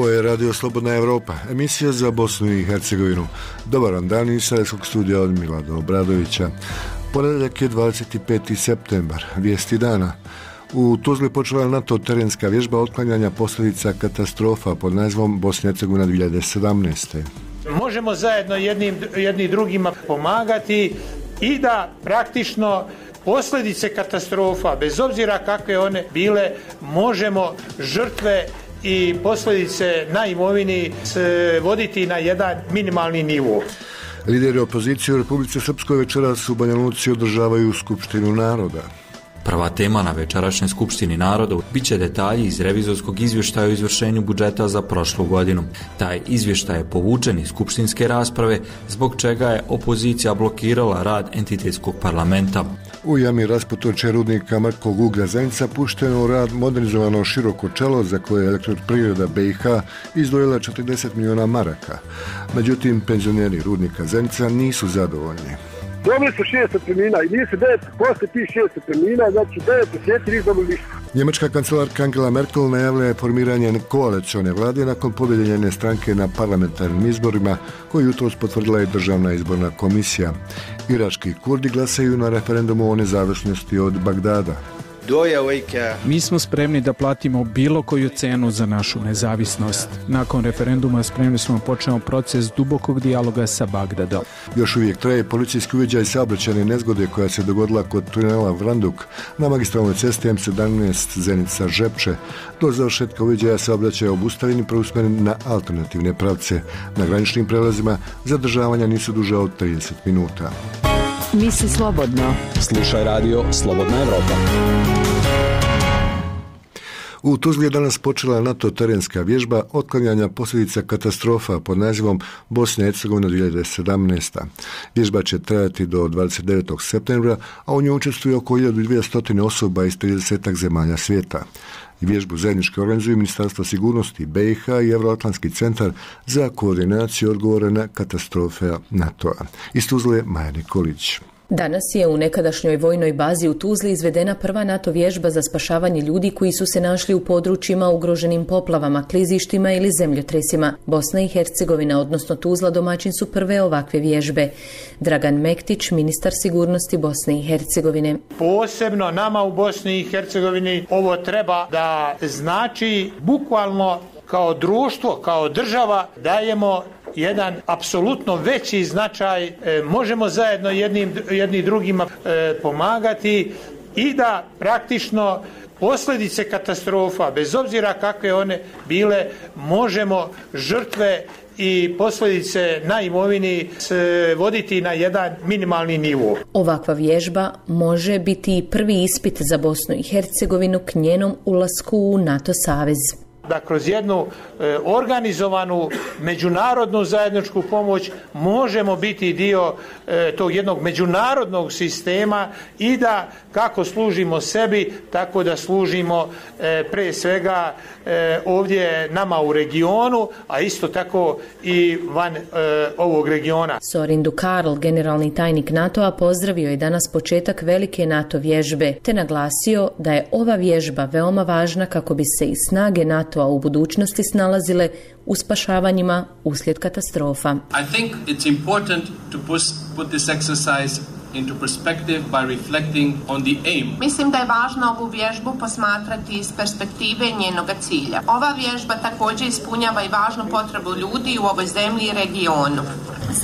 Ovo je Radio Slobodna Evropa, emisija za Bosnu i Hercegovinu. Dobar vam dan iz Sarajevskog studija od Milada Obradovića. Ponedjeljak je 25. septembar, vijesti dana. U Tuzli počela NATO terenska vježba otklanjanja posljedica katastrofa pod nazivom Bosna i Hercegovina 2017. Možemo zajedno jedni drugima pomagati i da praktično posljedice katastrofa, bez obzira kakve one bile, možemo žrtve i posljedice na imovini voditi na jedan minimalni nivo. Lideri opozicije u Republici Srpskoj večeras u Banja Luci održavaju Skupštinu naroda. Prva tema na večerašnjoj Skupštini naroda biće detalji iz revizorskog izvještaja o izvršenju budžeta za prošlu godinu. Taj izvještaj je povučen iz skupštinske rasprave, zbog čega je opozicija blokirala rad entitetskog parlamenta. U jami rasputoče rudnika Mrkog uglja Zenica pušteno u rad modernizovano široko čelo za koje je Elektroprivreda BiH izdvojila 40 miliona maraka. Međutim, penzioneri rudnika Zenica nisu zadovoljni. Dobili su 6 otpremnina i nisu 9, posle tih 6 otpremnina, znači 9 mjeseci nisu dobili ništa. Njemačka kancelarka Angela Merkel najavila je formiranje koalicione vlade nakon pobjede njene stranke na parlamentarnim izborima, koju jutros potvrdila i Državna izborna komisija. Irački Kurdi glasaju na referendumu o nezavisnosti od Bagdada. Mi smo spremni da platimo bilo koju cenu za našu nezavisnost. Nakon referenduma spremni smo početi proces dubokog dijaloga sa Bagdadom. Još uvijek traje policijski uviđaj saobraćajne nezgode koja se dogodila kod tunela Vranduk na magistralnoj cesti M17 Zenica-Žepče. Do završetka uviđaja saobraćaj je obustavljen i preusmjeren na alternativne pravce. Na graničnim prelazima zadržavanja nisu duže od 30 minuta. Misli slobodno. Slušaj Radio Slobodna Evropa. U Tuzli je danas počela NATO terenska vježba otklanjanja posljedica katastrofa pod nazivom Bosna i Hercegovina 2017. Vježba će trajati do 29. septembra, a u njoj učestvuje oko 1200 osoba iz 30 zemalja svijeta. Vježbu zajednički organizuju Ministarstvo sigurnosti BiH i Euroatlantski centar za koordinaciju odgovora na katastrofe NATO-a. Iz Tuzle Maja Nikolić. Danas je u nekadašnjoj vojnoj bazi u Tuzli izvedena prva NATO vježba za spašavanje ljudi koji su se našli u područjima ugroženim poplavama, klizištima ili zemljotresima. Bosna i Hercegovina, odnosno Tuzla, domaćin su prve ovakve vježbe. Dragan Mektić, ministar sigurnosti Bosne i Hercegovine. Posebno nama u Bosni i Hercegovini ovo treba da znači bukvalno kao društvo, kao država dajemo jedan apsolutno veći značaj, možemo zajedno jedni drugima pomagati i da praktično posljedice katastrofa, bez obzira kakve one bile, možemo žrtve i posljedice na imovini voditi na jedan minimalni nivo. Ovakva vježba može biti i prvi ispit za Bosnu i Hercegovinu k njenom ulasku u NATO savez. Da kroz jednu organizovanu međunarodnu zajedničku pomoć možemo biti dio tog jednog međunarodnog sistema i da kako služimo sebi, tako da služimo pre svega ovdje nama u regionu, a isto tako i van ovog regiona. Sorin Dukarl, generalni tajnik NATO-a, pozdravio je danas početak velike NATO vježbe, te naglasio da je ova vježba veoma važna kako bi se i snage NATO-a u budućnosti snalazile u spašavanjima uslijed katastrofa. I think it's important to put this exercise into perspective by reflecting on the aim. Mislim da je važno ovu vježbu posmatrati iz perspektive njenog cilja. Ova vježba također ispunjava i važnu potrebu ljudi u ovoj zemlji i regionu.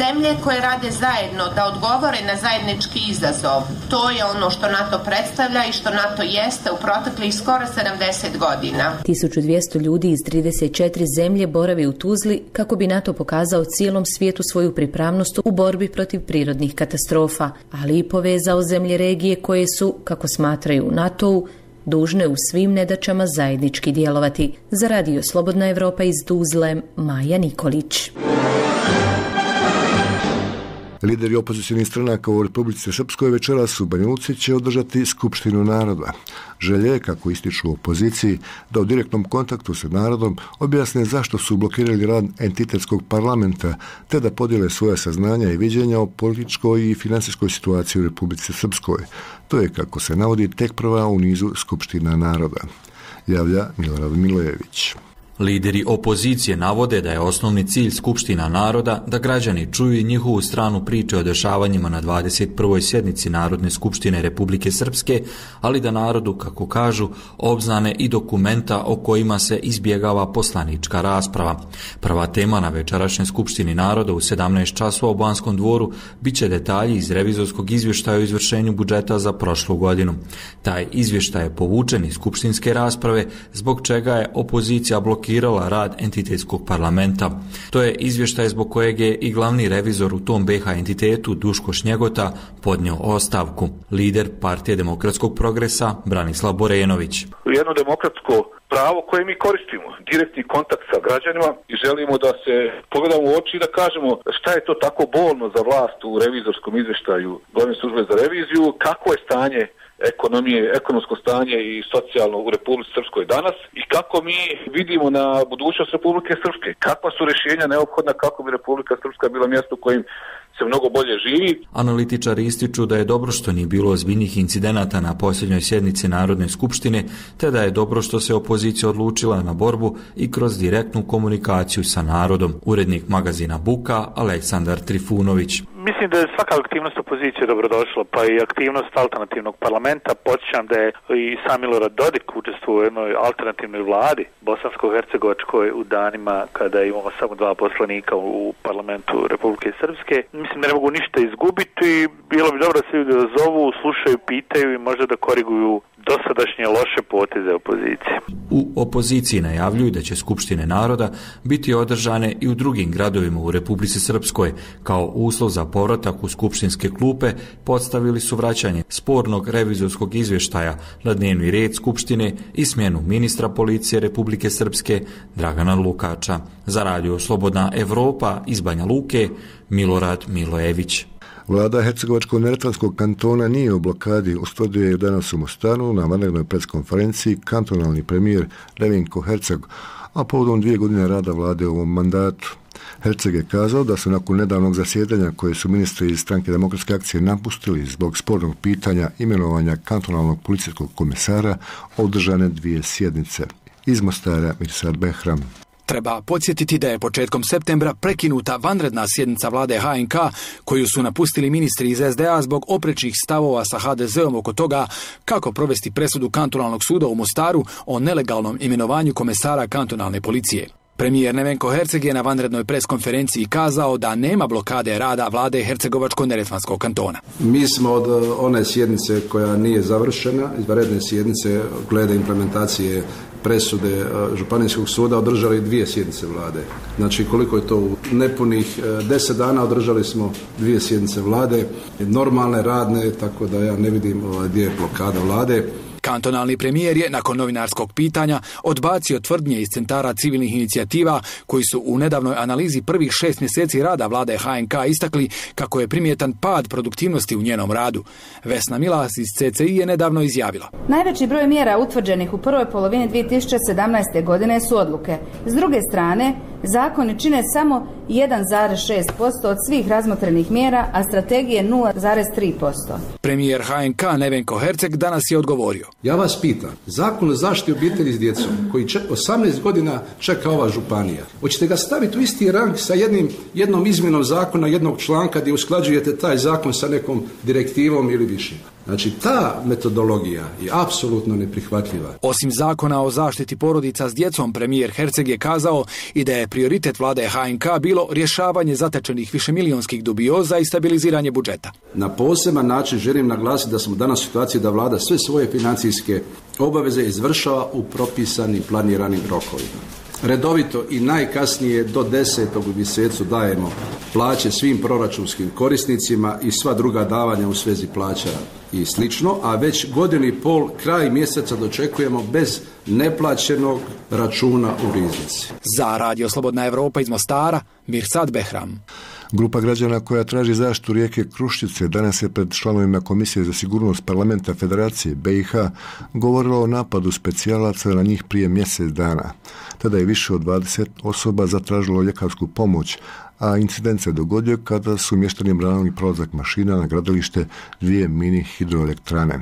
Zemlje koje rade zajedno da odgovore na zajednički izazov, to je ono što NATO predstavlja i što NATO jeste u proteklih skoro 70 godina. 1200 ljudi iz 34 zemlje boravi u Tuzli kako bi NATO pokazao cijelom svijetu svoju pripravnost u borbi protiv prirodnih katastrofa, ali i povezao zemlje regije koje su, kako smatraju u NATO-u, dužne u svim nedaćama zajednički djelovati. Za Radio Slobodna Evropa iz Tuzle, Maja Nikolić. Lideri opozicionih stranaka u Republici Srpskoj večeras u Banja Luci će održati Skupštinu naroda. Želje je, kako ističu u opoziciji, da u direktnom kontaktu sa narodom objasne zašto su blokirali rad entitetskog parlamenta, te da podijele svoja saznanja i viđenja o političkoj i financijskoj situaciji u Republici Srpskoj. To je, kako se navodi, tek prva u nizu Skupština naroda. Javlja Milorad Milojević. Lideri opozicije navode da je osnovni cilj Skupština naroda da građani čuju i njihovu stranu priče o dešavanjima na 21. sjednici Narodne skupštine Republike Srpske, ali da narodu, kako kažu, obznane i dokumenta o kojima se izbjegava poslanička rasprava. Prva tema na večerašnjoj Skupštini naroda u 17 časova u Banskom dvoru biće detalji iz revizorskog izvještaja o izvršenju budžeta za prošlu godinu. Taj izvještaj je povučen iz skupštinske rasprave, zbog čega je opozicija blokirala rad entitetskog parlamenta. To je izvještaj zbog kojeg je i glavni revizor u tom BiH entitetu Duško Šnjegota podnio ostavku. Lider Partije demokratskog progresa Branislav Borenović. Jedno demokratsko pravo koje mi koristimo, direktni kontakt sa građanima i želimo da se pogledamo u oči i da kažemo šta je to tako bolno za vlast u revizorskom izvještaju Glavne službe za reviziju, kako je stanje ekonomije, ekonomsko stanje i socijalno u Republici Srpskoj danas i kako mi vidimo na budućnost Republike Srpske, kakva su rješenja neophodna kako bi Republika Srpska bila mjesto u kojim se mnogo bolje živi. Analitičari ističu da je dobro što nije bilo ozbiljnih incidenata na posljednjoj sjednici Narodne skupštine, te da je dobro što se opozicija odlučila na borbu i kroz direktnu komunikaciju sa narodom. Urednik magazina Buka Aleksandar Trifunović. Mislim da je svaka aktivnost opozicije dobrodošla, pa i aktivnost alternativnog parlamenta. Podsjećam da je i sam Milorad Dodik učestvovao u jednoj alternativnoj vladi bosansko-hercegovačkoj u danima kada imamo samo 2 poslanika u parlamentu Republike Srpske. Mislim da ne mogu ništa izgubiti. Bilo bi dobro da se ljudi zovu, slušaju, pitaju i možda da koriguju dosadašnje loše poteze opozicije. U opoziciji najavljuju da će Skupštine naroda biti održane i u drugim gradovima u Republici Srpskoj. Kao uslov za povratak u skupštinske klupe postavili su vraćanje spornog revizorskog izvještaja na dnevni red Skupštine i smjenu ministra policije Republike Srpske Dragana Lukača. Za radio Slobodna Evropa iz Banja Luke, Milorad Milojević. Vlada Hercegovačko-neretvanskog kantona nije u blokadi, ustvrdio je danas u Mostaru na vanrednoj preskonferenciji kantonalni premijer Nevenko Herceg, a povodom 2 godine rada vlade u ovom mandatu. Herceg je kazao da su nakon nedavnog zasjedanja koje su ministri iz Stranke demokratske akcije napustili zbog spornog pitanja imenovanja kantonalnog policijskog komesara održane 2 sjednice. Iz Mostara Mirsad Behram. Treba podsjetiti da je početkom septembra prekinuta vanredna sjednica vlade HNK koju su napustili ministri iz SDA zbog oprečnih stavova sa HDZ-om oko toga kako provesti presudu kantonalnog suda u Mostaru o nelegalnom imenovanju komesara kantonalne policije. Premijer Nevenko Herceg je na vanrednoj preskonferenciji kazao da nema blokade rada vlade Hercegovačko-neretvanskog kantona. Mi smo od one sjednice koja nije završena, izvanredne sjednice glede implementacije presude Županijskog suda održali 2 sjednice vlade. Znači koliko je to u nepunih 10 dana održali smo 2 sjednice vlade, normalne, radne, tako da ja ne vidim gdje je blokada vlade. Kantonalni premijer je nakon novinarskog pitanja odbacio tvrdnje iz centara civilnih inicijativa koji su u nedavnoj analizi prvih 6 mjeseci rada vlade HNK istakli kako je primjetan pad produktivnosti u njenom radu. Vesna Milas iz CCI je nedavno izjavila. Najveći broj mjera utvrđenih u prvoj polovini 2017. godine su odluke. S druge strane, zakoni čine samo 1,6% od svih razmotrenih mjera, a strategije 0,3%. Premijer HNK Nevenko Herceg danas je odgovorio. Ja vas pitam, zakon o zaštiti obitelji s djecom, koji 18 godina čeka ova županija, hoćete ga staviti u isti rang sa jednom izmjenom zakona, jednog članka gdje usklađujete taj zakon sa nekom direktivom ili više? Znači, ta metodologija je apsolutno neprihvatljiva. Osim zakona o zaštiti porodica s djecom, premijer Herceg je kazao i da je prioritet vlade HNK bilo rješavanje zatečenih višemilijonskih dubioza i stabiliziranje budžeta. Na poseban način želim naglasiti da smo danas u situaciji da vlada sve svoje financijske obaveze izvršava u propisanim planiranim rokovima. Redovito i najkasnije do 10. u mjesecu dajemo plaće svim proračunskim korisnicima i sva druga davanja u svezi plaća i slično, a već 1,5 godine kraj mjeseca dočekujemo bez neplaćenog računa u riznici. Za Radio Slobodna Evropa iz Mostara, Mirsad Behram. Grupa građana koja traži zaštitu rijeke Kruščice danas je pred članovima Komisije za sigurnost parlamenta Federacije BiH govorila o napadu specijalaca na njih prije mjesec dana. Tada je više od 20 osoba zatražilo ljekarsku pomoć, a incident se dogodio kada su mještani branili prolazak mašina na gradilište 2 mini hidroelektrane.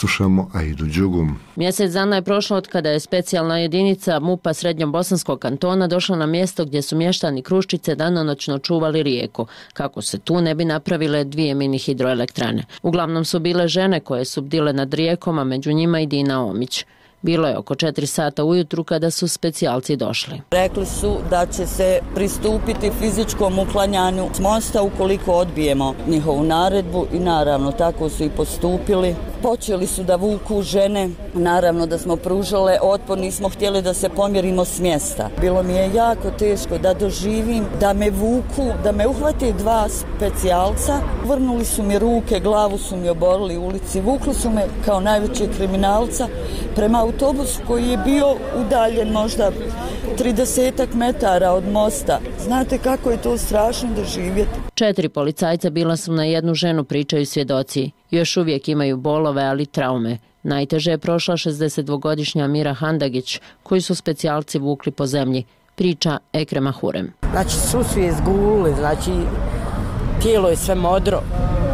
Slušamo Aidu Đugum. Mjesec dana je prošlo od kada je specijalna jedinica MUP-a Srednjobosanskog kantona došla na mjesto gdje su mještani Kruščice danonoćno čuvali rijeku, kako se tu ne bi napravile 2 mini hidroelektrane. Uglavnom su bile žene koje su bdile nad rijekom, a među njima i Dina Omić. Bilo je oko 4 sata ujutru kada su specijalci došli. Rekli su da će se pristupiti fizičkom uklanjanju s mosta ukoliko odbijemo njihovu naredbu i naravno tako su i postupili. Počeli su da vuku žene, naravno da smo pružale otpor, nismo htjeli da se pomjerimo s mjesta. Bilo mi je jako teško da doživim, da me vuku, da me uhvate 2 specijalca. Vrnuli su mi ruke, glavu su mi oborili u ulici, vukli su me kao najvećeg kriminalca prema autobusu koji je bio udaljen možda 30 metara od mosta. Znate kako je to strašno doživjeti. 4 policajca bila su na jednu ženu, pričaju svjedoci. Još uvijek imaju bolove, ali traume. Najteže je prošla 62-godišnja Mira Handagić, koju su specijalci vukli po zemlji, priča Ekrema Hurem. Znači, svu su je zgulili, znači, tijelo je sve modro.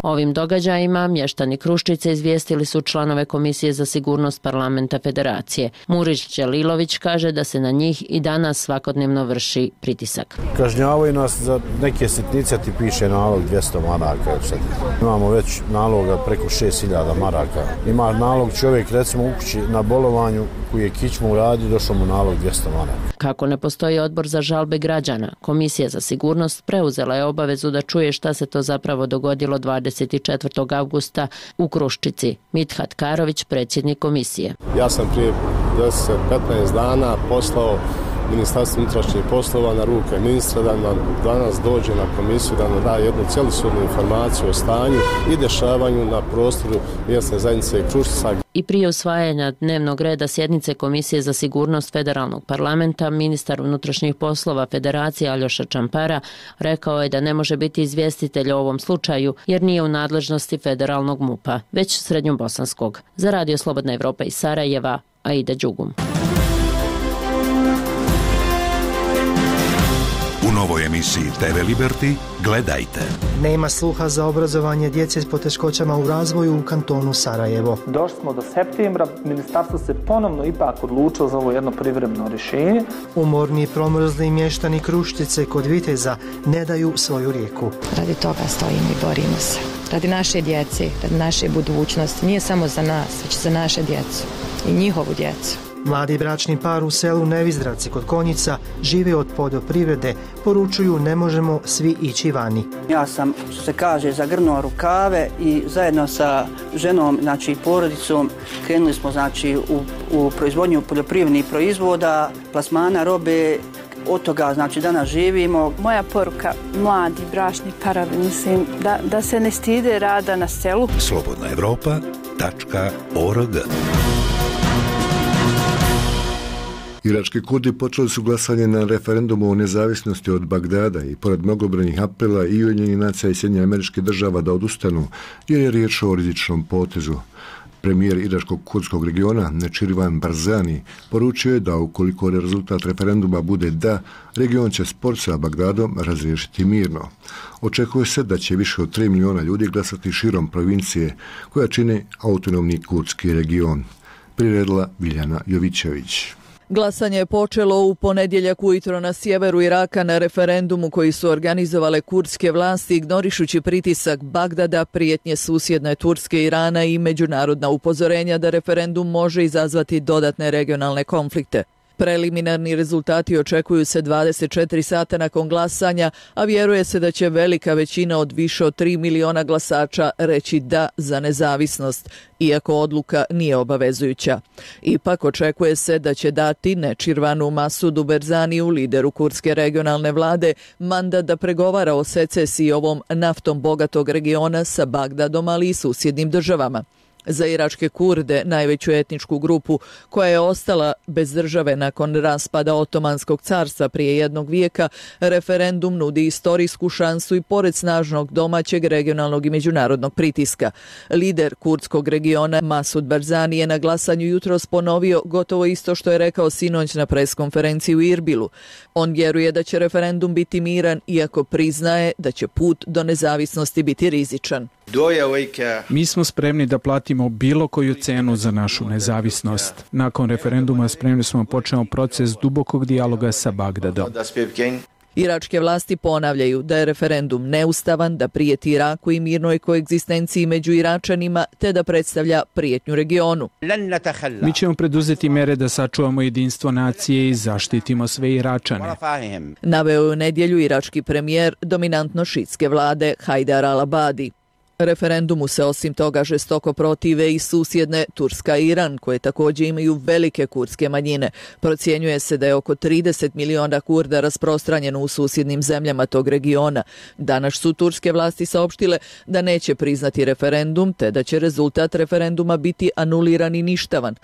Ovim događajima mještani Kruščice izvijestili su članove Komisije za sigurnost parlamenta Federacije. Murić Đelilović kaže da se na njih i danas svakodnevno vrši pritisak. Kažnjavaju nas za neke sitnice, ti piše nalog 200 maraka. Imamo već naloga preko 6000 maraka. Ima nalog čovjek recimo u kući na bolovanju koji je kičmu uradio, došao mu nalog 200 maraka. Kako ne postoji odbor za žalbe građana, Komisija za sigurnost preuzela je obavezu da čuje šta se to zapravo dogodilo 24. avgusta u Kruščici. Mithat Karović, predsjednik komisije. Ja sam prije 10-15 dana poslao Ministarstvo unutrašnjih poslova na ruke ministra da nam danas dođe na komisiju da nam da jednu cjelishodnu informaciju o stanju i dešavanju na prostoru mjesne zajednice Kruščica. I prije usvajanja dnevnog reda sjednice Komisije za sigurnost Federalnog parlamenta, ministar unutrašnjih poslova Federacije Aljoša Čampara rekao je da ne može biti izvjestitelj o ovom slučaju jer nije u nadležnosti federalnog MUP-a, već srednjobosanskog. Za Radio Slobodna Evropa iz Sarajeva, Aida Đugum. U novoj emisiji TV Liberty gledajte. Nema sluha za obrazovanje djece s poteškoćama u razvoju u kantonu Sarajevo. Došli smo do septembra, ministarstvo se ponovno ipak odlučilo za ovo jedno privremeno rješenje. Umorni i promrzli mještani Kruščice kod Viteza ne daju svoju rijeku. Radi toga stojimo i borimo se. Radi naše djece, radi naše budućnosti. Nije samo za nas, već za naše djecu i njihovu djecu. Mladi bračni par u selu Nevizdravci kod Konjica žive od poljoprivrede, poručuju ne možemo svi ići vani. Ja sam, što se kaže, zagrnuo rukave i zajedno sa ženom, znači porodicom, krenuli smo znači u proizvodnju poljoprivrednih proizvoda, plasmana robe. Od toga, znači, danas živimo. Moja poruka, mladi bračni parovi, mislim, da se ne stide rada na selu. slobodnaevropa.org. Irački Kurdi počeli su glasanje na referendumu o nezavisnosti od Bagdada i pored mnogobrojnih apela i Ujedinjenih nacija i Sjedinjenih Američkih Država da odustanu, jer je riječ o rizičnom potezu. Premijer iračkog kurdskog regiona Nečirvan Barzani poručio je da ukoliko rezultat referenduma bude da, region će spor sa Bagdadom razriješiti mirno. Očekuje se da će više od 3 milijuna ljudi glasati širom provincije koja čini autonomni kurdski region. Priredila Biljana Jovićević. Glasanje je počelo u ponedjeljak ujutro na sjeveru Iraka na referendumu koji su organizovale kurdske vlasti ignorišući pritisak Bagdada, prijetnje susjedne Turske, Irana i međunarodna upozorenja da referendum može izazvati dodatne regionalne konflikte. Preliminarni rezultati očekuju se 24 sata nakon glasanja, a vjeruje se da će velika većina od više od 3 miliona glasača reći da za nezavisnost, iako odluka nije obavezujuća. Ipak očekuje se da će dati Nečirvanu Masudu Berzaniju, lideru kurdske regionalne vlade, mandat da pregovara o secesiji ovom naftom bogatog regiona sa Bagdadom, ali i susjednim državama. Za iračke Kurde, najveću etničku grupu koja je ostala bez države nakon raspada Otomanskog carstva prije 1 vijeka, referendum nudi istorijsku šansu i pored snažnog domaćeg, regionalnog i međunarodnog pritiska. Lider kurdskog regiona Masud Barzani je na glasanju jutros ponovio gotovo isto što je rekao sinoć na preskonferenciji u Irbilu. On vjeruje da će referendum biti miran, iako priznaje da će put do nezavisnosti biti rizičan. Mi smo spremni da platimo bilo koju cenu za našu nezavisnost. Nakon referenduma spremni smo početi proces dubokog dijaloga sa Bagdadom. Iračke vlasti ponavljaju da je referendum neustavan, da prijeti Iraku i mirnoj koegzistenciji među Iračanima, te da predstavlja prijetnju regionu. Mi ćemo preduzeti mere da sačuvamo jedinstvo nacije i zaštitimo sve Iračane. Naveo je u nedjelju irački premijer dominantno šitske vlade Hajdar al-Abadi. Referendumu se osim toga žestoko protive i susjedne Turska i Iran, koje također imaju velike kurdske manjine. Procjenjuje se da je oko 30 miliona Kurda rasprostranjeno u susjednim zemljama tog regiona. Danas su turske vlasti saopštile da neće priznati referendum, te da će rezultat referenduma biti anuliran i ništavan.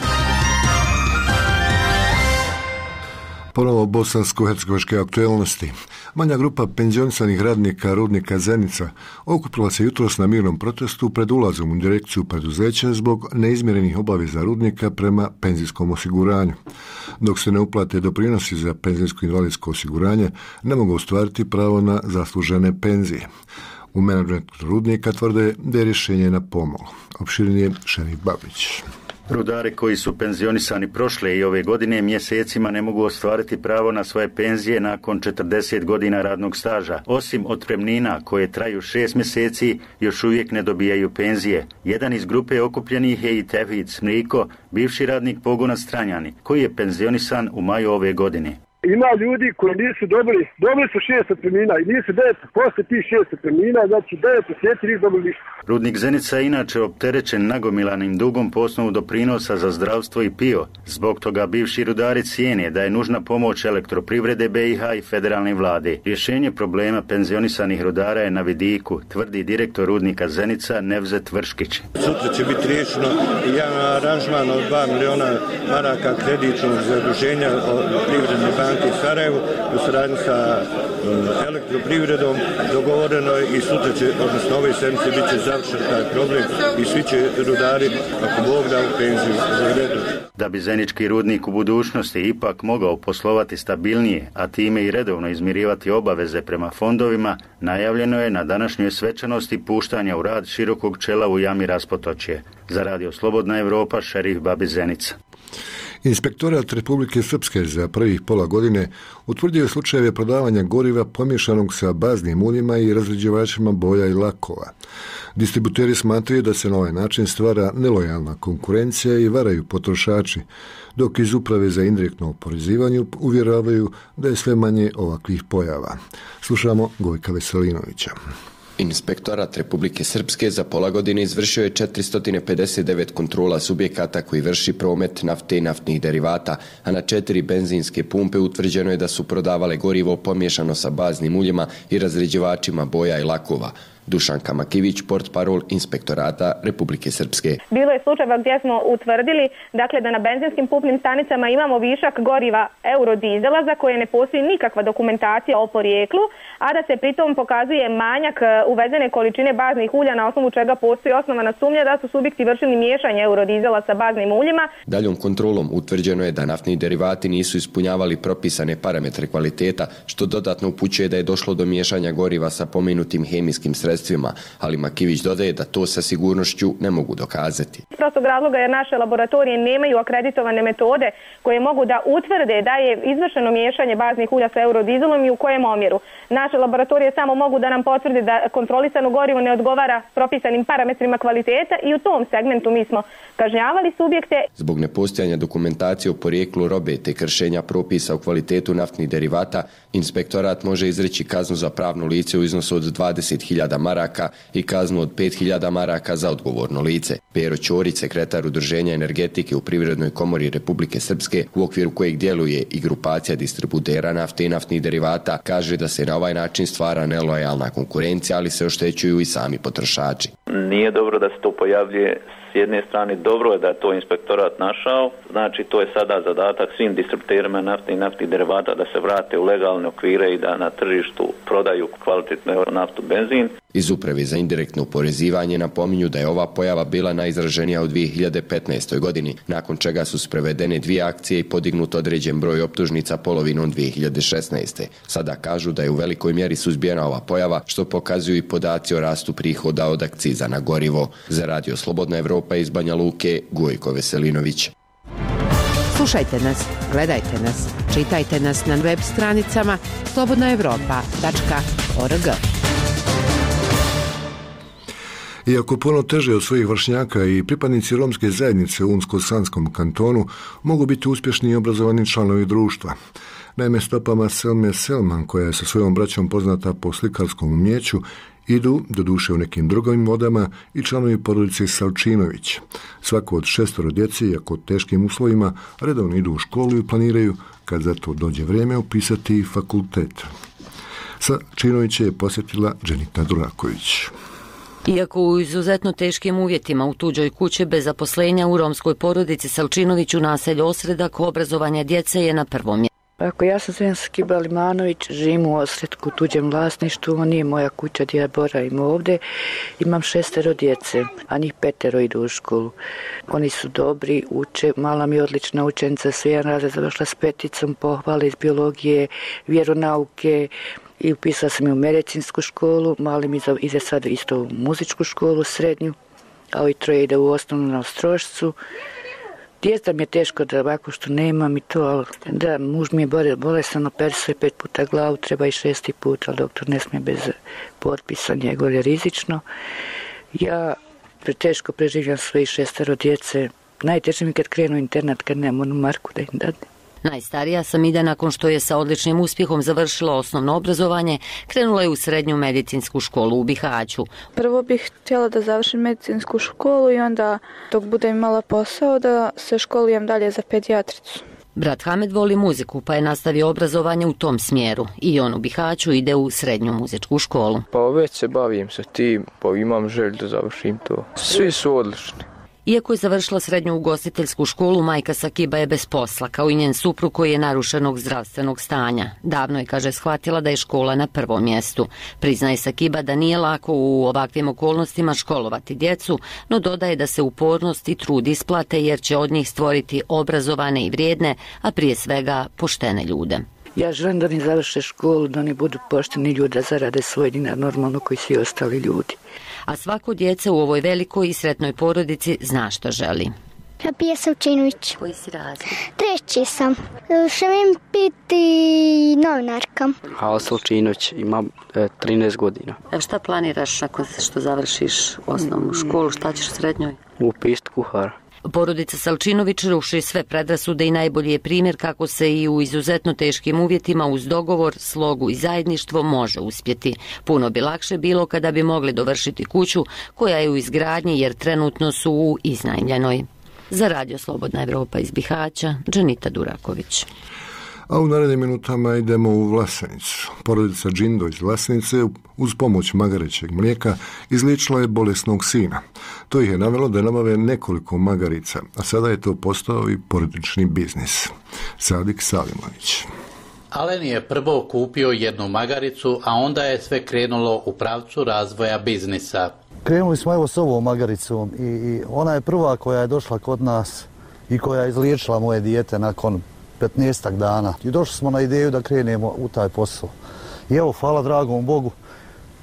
Ponovo bosansko-hercegovačke aktualnosti. Manja grupa penzionisanih radnika rudnika Zenica okupila se jutros na mirnom protestu pred ulazom u direkciju preduzeća zbog neizmjerenih obaveza rudnika prema penzijskom osiguranju. Dok se ne uplate doprinosi za penzijsko-invalidsko osiguranje, ne mogu ostvariti pravo na zaslužene penzije. U menadžmentu rudnika tvrde da je rješenje na pomolu. Opširnije Šerif Babić. Rudari koji su penzionisani prošle i ove godine mjesecima ne mogu ostvariti pravo na svoje penzije nakon 40 godina radnog staža. Osim otpremnina koje traju 6 mjeseci, još uvijek ne dobijaju penzije. Jedan iz grupe okupljenih je i Tevhid Smriko, bivši radnik pogona Stranjani, koji je penzionisan u maju ove godine. Ima ljudi koji nisu dobili su 6 otpremnina i nisu 9 posle tih 6 otpremnina, znači 9 mjeseci nisu dobili ništa. Rudnik Zenica je inače opterećen nagomilanim dugom po osnovu doprinosa za zdravstvo i PIO. Zbog toga bivši rudari cijene da je nužna pomoć elektroprivrede BiH i federalne vlade. Rješenje problema penzionisanih rudara je na vidiku, tvrdi direktor rudnika Zenica Nevzet Vrškić. Sutra će biti riješeno jedan aranžman od 2 miliona maraka kreditnog zaduženja od Privredne banke u Sarajevu u saradnji sa elektroprivredom dogovoreno je i sutra će, odnosno ove sedmice, bit će završen taj problem i svi će rudari, ako Bog da, u penziju. Da bi zenički rudnik u budućnosti ipak mogao poslovati stabilnije, a time i redovno izmirivati obaveze prema fondovima, najavljeno je na današnjoj svečanosti puštanja u rad širokog čela u jami Raspotočje. Za Radio Slobodna Evropa, Šerif Babić, Zenica. Inspektorat Republike Srpske za prvih pola godine utvrdio slučajeve prodavanja goriva pomiješanog sa baznim uljima i razređivačima boja i lakova. Distributeri smatraju da se na ovaj način stvara nelojalna konkurencija i varaju potrošači, dok iz Uprave za indirektno oporezivanje uvjeravaju da je sve manje ovakvih pojava. Slušamo Gojka Veselinovića. Inspektorat Republike Srpske za pola godine izvršio je 459 kontrola subjekata koji vrši promet nafte i naftnih derivata, a na 4 benzinske pumpe utvrđeno je da su prodavale gorivo pomiješano sa baznim uljima i razređivačima boja i lakova. Dušanka Makivić, portparol Inspektorata Republike Srpske. Bilo je slučajeva gdje smo utvrdili da na benzinskim pumpnim stanicama imamo višak goriva eurodizela za koje ne postoji nikakva dokumentacija o porijeklu, a da se pritom pokazuje manjak uvezene količine baznih ulja na osnovu čega postoji osnovana sumnja da su subjekti vršili miješanje eurodizela sa baznim uljima. Daljom kontrolom utvrđeno je da naftni derivati nisu ispunjavali propisane parametre kvaliteta, što dodatno upućuje da je došlo do miješanja goriva sa pomenutim hemijskim sredstvima, ali Makivić dodaje da to sa sigurnošću ne mogu dokazati. Iz prostog razloga jer naše laboratorije nemaju akreditovane metode koje mogu da utvrde da je izvršeno miješanje baznih ulja sa eurodizelom i u kojem omjeru. Naše laboratorije samo mogu da nam potvrde da kontrolisano gorivo ne odgovara propisanim parametrima kvaliteta i u tom segmentu mi smo kažnjavali subjekte. Zbog nepostojanja dokumentacije o porijeklu robe te kršenja propisa o kvalitetu naftnih derivata, inspektorat može izreći kaznu za pravno lice u iznosu od 20.000 maraka i kaznu od 5.000 maraka za odgovorno lice. Pero Ćorić, sekretar Udruženja energetike u Privrednoj komori Republike Srpske, u okviru kojeg djeluje i grupacija distributera nafte i naftnih derivata, kaže da se na ovaj način stvara nelojalna konkurencija, ali se oštećuju i sami potrošači. Nije dobro da se to pojavljuje. S jedne strane dobro je da je to inspektorat našao, znači to je sada zadatak svim distributerima nafte i naftnih derivata da se vrate u legalne okvire i da na tržištu prodaju kvalitetnu naftu, benzin. Iz Uprave za indirektno oporezivanje napominju da je ova pojava bila najizraženija u 2015. godini, nakon čega su sprovedene 2 akcije i podignut određen broj optužnica polovinom 2016. Sada kažu da je u velikoj mjeri suzbijena ova pojava, što pokazuju i podaci o rastu prihoda od akciza na gorivo. Za Radio Slobodna Evropa iz Banja Luke, Gojko Veselinović. Slušajte nas, gledajte nas, čitajte nas na web stranicama slobodnaevropa.org. Iako puno teže od svojih vršnjaka i pripadnici romske zajednice u Unsko-Sanskom kantonu mogu biti uspješni i obrazovani članovi društva. Naime, stopama Selme Selman, koja je sa svojom braćom poznata po slikarskom umjeću, idu, doduše u nekim drugim vodama, i članovi porodice Salčinović. Svako od 6 djece, iako teškim uslovima, redovno idu u školu i planiraju, kad za to dođe vrijeme, upisati fakultet. Salčinovića je posjetila Dženita Duraković. Iako u izuzetno teškim uvjetima u tuđoj kući bez zaposlenja, u romskoj porodici Salčinović u naselju Osredak obrazovanje djece je na prvom mjestu. Ako ja sam Zven Skiba Limanović, živim u Osredku, tuđem vlasništvu, ovo nije moja kuća gdje ja boravim ovdje. Imam 6 djece, a njih 5 idu u školu. Oni su dobri, uče, mala mi je odlična učenica, sve jedan razred završila s 5, pohvale iz biologije, vjeronauke, i upisala sam je u medicinsku školu, mali mi ide sad isto u muzičku školu, srednju, a ovi 3 ide u osnovnu na Ostrošcu. Djeca mi je teško da ovako što nemam i to, ali da, muž mi je bolestan, operisao 5 puta glavu, treba i 6. put, ali doktor ne smije bez potpisa, njegov je rizično. Ja teško preživljam svojih 6 djece, najteže mi kad krenu internat, kad nemam onu marku da im dadne. Najstarija Samida, nakon što je sa odličnim uspjehom završila osnovno obrazovanje, krenula je u srednju medicinsku školu u Bihaću. Prvo bih htjela da završim medicinsku školu i onda, dok budem imala posao, da se školujem dalje za pedijatricu. Brat Hamed voli muziku, pa je nastavio obrazovanje u tom smjeru. I on u Bihaću ide u srednju muzičku školu. Pa već se bavim sa tim, pa imam želju da završim to. Svi su odlični. Iako je završila srednju ugostiteljsku školu, majka Sakiba je bez posla, kao i njen suprug koji je narušenog zdravstvenog stanja. Davno je, kaže, shvatila da je škola na prvom mjestu. Priznaje Sakiba da nije lako u ovakvim okolnostima školovati djecu, no dodaje da se upornost i trud isplate jer će od njih stvoriti obrazovane i vrijedne, a prije svega poštene ljude. Ja želim da oni završe školu, da oni budu pošteni ljudi, da zarade svoj dinar normalno koji svi ostali ljudi. A svako djece u ovoj velikoj i sretnoj porodici zna što želi. Pija Salčinović. Koji si razred? 3. sam. Želim biti novinarka. Hala Salčinović, imam 13 godina. Šta planiraš nakon što završiš osnovnu školu? Šta ćeš u srednjoj? Upisati kuhara. Porodica Salčinović ruši sve predrasude i najbolji je primjer kako se i u izuzetno teškim uvjetima uz dogovor, slogu i zajedništvo može uspjeti. Puno bi lakše bilo kada bi mogli dovršiti kuću koja je u izgradnji jer trenutno su u iznajmljenoj. Za Radio Slobodna Evropa iz Bihaća, Dženita Duraković. A u narednim minutama idemo u Vlasenicu. Porodica Džindo iz Vlasenice uz pomoć magarećeg mlijeka izliječila je bolesnog sina. To ih je navelo da nabave nekoliko magarica, a sada je to postao i porodični biznis. Sadik Salimović. Alen je prvo kupio jednu magaricu, a onda je sve krenulo u pravcu razvoja biznisa. Krenuli smo evo s ovom magaricom i ona je prva koja je došla kod nas i koja je izliječila moje dijete nakon 15 dana. I došli smo na ideju da krenemo u taj posao. I evo, hvala dragom Bogu,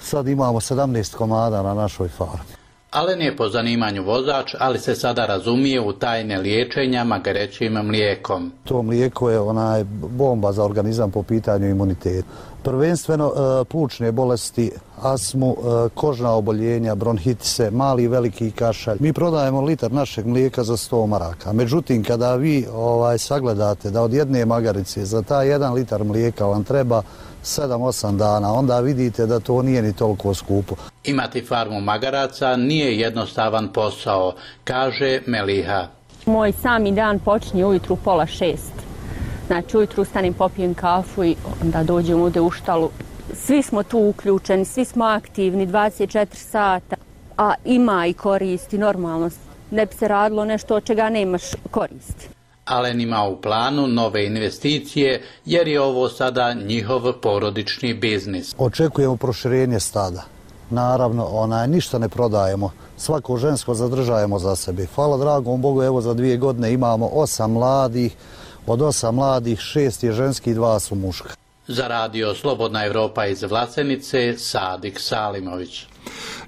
sad imamo 17 komada na našoj farmi. Alen je po zanimanju vozač, ali se sada razumije u tajne liječenja magarećim mlijekom. To mlijeko je bomba za organizam po pitanju imuniteta. Prvenstveno plućne bolesti, astmu, kožna oboljenja, bronhitise, mali i veliki kašalj. Mi prodajemo litar našeg mlijeka za 100 maraka. Međutim, kada vi sagledate da od jedne magarice za taj 1 litar mlijeka vam treba 7-8 dana, onda vidite da to nije ni toliko skupo. Imati farmu magaraca nije jednostavan posao, kaže Meliha. Moj sami dan počinje ujutru 5:30. Znači, ujutru ustanem, popijem kafu i onda dođem ovdje u štalu. Svi smo tu uključeni, svi smo aktivni 24 sata, a ima i koristi, normalno. Ne bi se radilo nešto od čega nemaš koristi. Alen ima u planu nove investicije jer je ovo sada njihov porodični biznis. Očekujemo proširenje stada. naravno ništa ne prodajemo. Svako žensko zadržajemo za sebe. Hvala dragom Bogu, evo za 2 godine imamo 8 mladih, od 8 mladih 6 je ženski i 2 su muška. Za radio Slobodna Evropa iz Vlasenice, Sadik Salimović.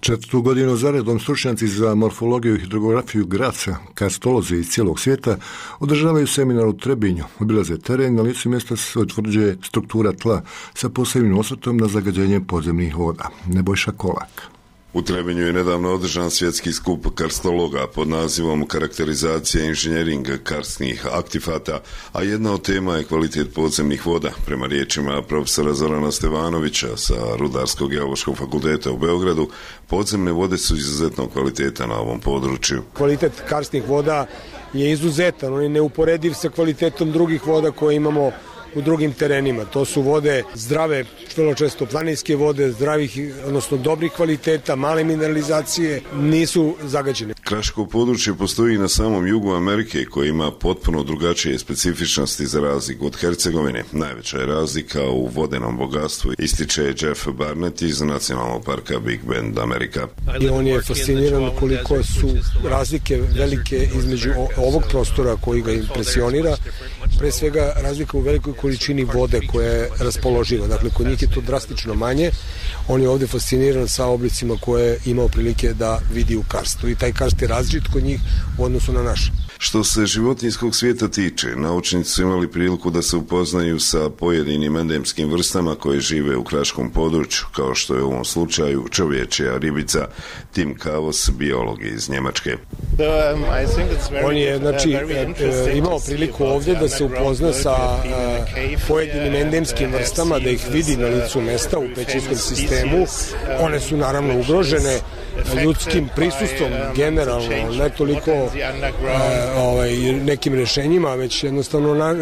4. godinu zaredom stručnjaci za morfologiju i hidrografiju Graca, karstolozi iz cijelog svijeta, održavaju seminar u Trebinju. Obilaze teren, na licu mjesta se utvrđuje struktura tla sa posebnim osvrtom na zagađenje podzemnih voda. Nebojša Kolak. U Trebinju je nedavno održan svjetski skup karstologa pod nazivom Karakterizacija inženjering karstnih aktifata, a jedna od tema je kvalitet podzemnih voda. Prema riječima profesora Zorana Stevanovića sa Rudarskog geološkog fakulteta u Beogradu, podzemne vode su izuzetnog kvaliteta na ovom području. Kvalitet karstnih voda je izuzetan, on je neuporediv sa kvalitetom drugih voda koje imamo u drugim terenima. To su vode zdrave, vrlo često planinske vode, zdravih, odnosno dobrih kvaliteta, male mineralizacije, nisu zagađene. Kraško područje postoji na samom jugu Amerike koji ima potpuno drugačije specifičnosti za razliku od Hercegovine. Najveća je razlika u vodenom bogatstvu, ističe Jeff Barnett iz Nacionalnog parka Big Bend, Amerika. I on je fasciniran koliko su razlike velike između ovog prostora koji ga impresionira, pre svega razlika u velikoj količini vode koja je raspoloživa. Dakle, kod njih je to drastično manje. On je ovdje fasciniran sa oblicima koje je imao prilike da vidi u karstu. I taj karst je različit kod njih u odnosu na naš. Što se životinjskog svijeta tiče, naučnici su imali priliku da se upoznaju sa pojedinim endemskim vrstama koje žive u kraškom području, kao što je u ovom slučaju čovječja ribica. Tim Kavos, biolog iz Njemačke. On je imao priliku ovdje da se upozna sa pojedinim endemskim vrstama, da ih vidi na licu mesta u pećinskom sistemu. One su naravno ugrožene ljudskim prisustvom generalno, ne toliko nekim rješenjima, već jednostavno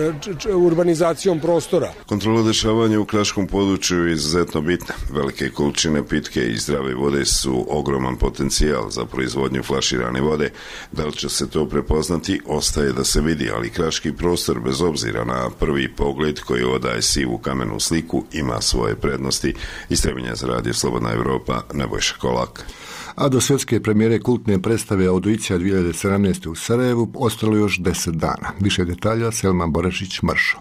urbanizacijom prostora. Kontrola dešavanja u kraškom području je izuzetno bitna. Velike količine pitke i zdrave vode su ogroman potencijal za proizvodnju flaširane vode. Da li će se to prepoznati, ostaje da se vidi, ali kraški prostor, bez obzira na prvi pogled koji odaje sivu kamenu sliku, ima svoje prednosti. Iz Trebinja za radio Slobodna Evropa, Nebojša Kolak. A do svjetske premijere kultne predstave Audicija 2017. u Sarajevu ostalo još 10 dana. Više detalja Selma Borašić-Mršo.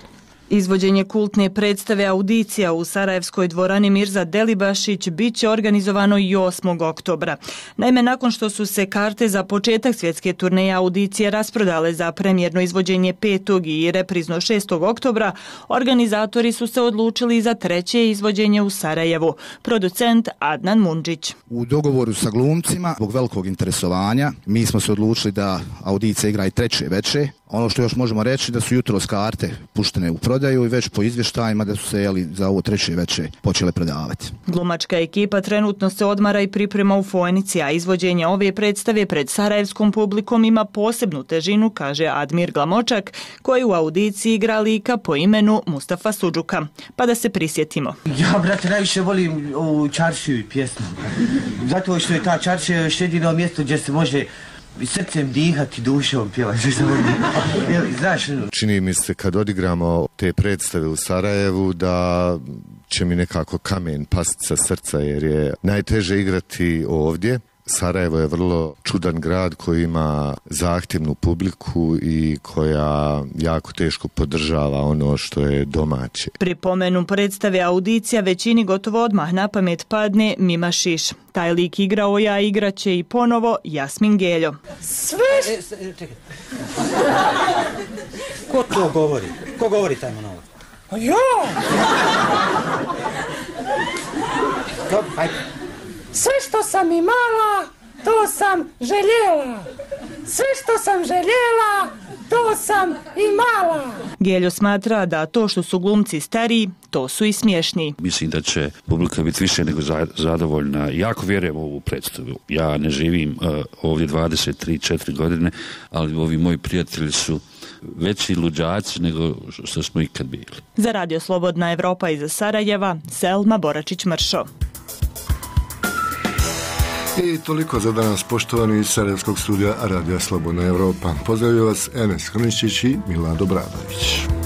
Izvođenje kultne predstave Audicija u Sarajevskoj dvorani Mirza Delibašić bit će organizovano i 8. oktobra. Naime, nakon što su se karte za početak svjetske turneje Audicije rasprodale za premijerno izvođenje 5. i reprizno 6. oktobra, organizatori su se odlučili za treće izvođenje u Sarajevu. Producent Adnan Mundžić. U dogovoru sa glumcima, zbog velikog interesovanja, mi smo se odlučili da Audicija igra i treće veče. Ono što još možemo reći da su jutros karte puštene u prodaju i već po izvještajima da su se za ovo treće veče počele prodavati. Glumačka ekipa trenutno se odmara i priprema u Fojnici, a izvođenje ove predstave pred sarajevskom publikom ima posebnu težinu, kaže Admir Glamočak, koji u Audiciji igra lika po imenu Mustafa Sudžuka. Pa da se prisjetimo. Ja, brate, najviše volim ovu čaršiju pjesmu. Zato što je ta čaršija još jedino mjesto gdje se može srcem dihati, dušom pjevati. Čini mi se kad odigramo te predstave u Sarajevu da će mi nekako kamen pasti sa srca jer je najteže igrati ovdje. Sarajevo je vrlo čudan grad koji ima zahtjevnu publiku i koja jako teško podržava ono što je domaće. Pri pomenu predstave Audicija većini gotovo odmah na pamet padne Mima Šiš. Taj lik igrao ja, igraće i ponovo Jasmin Geljo. Sve! Čekaj. Ko to govori? Ko govori taj monolog? Ja! Ajde. Sve što sam imala, to sam željela. Sve što sam željela, to sam imala. Geljo smatra da to što su glumci stariji, to su i smiješni. Mislim da će publika biti više nego zadovoljna. Jako vjerujem u ovu predstavu. Ja ne živim ovdje 23-4 godine, ali ovi moji prijatelji su veći luđaci nego što smo ikad bili. Za radio Slobodna Evropa iz Sarajeva, Selma Boračić-Mršo. I toliko za danas, poštovani iz Sarajevskog studija Radija Slobodna Evropa. Pozdravljaju vas Enes Hrničić i Milado Bradović.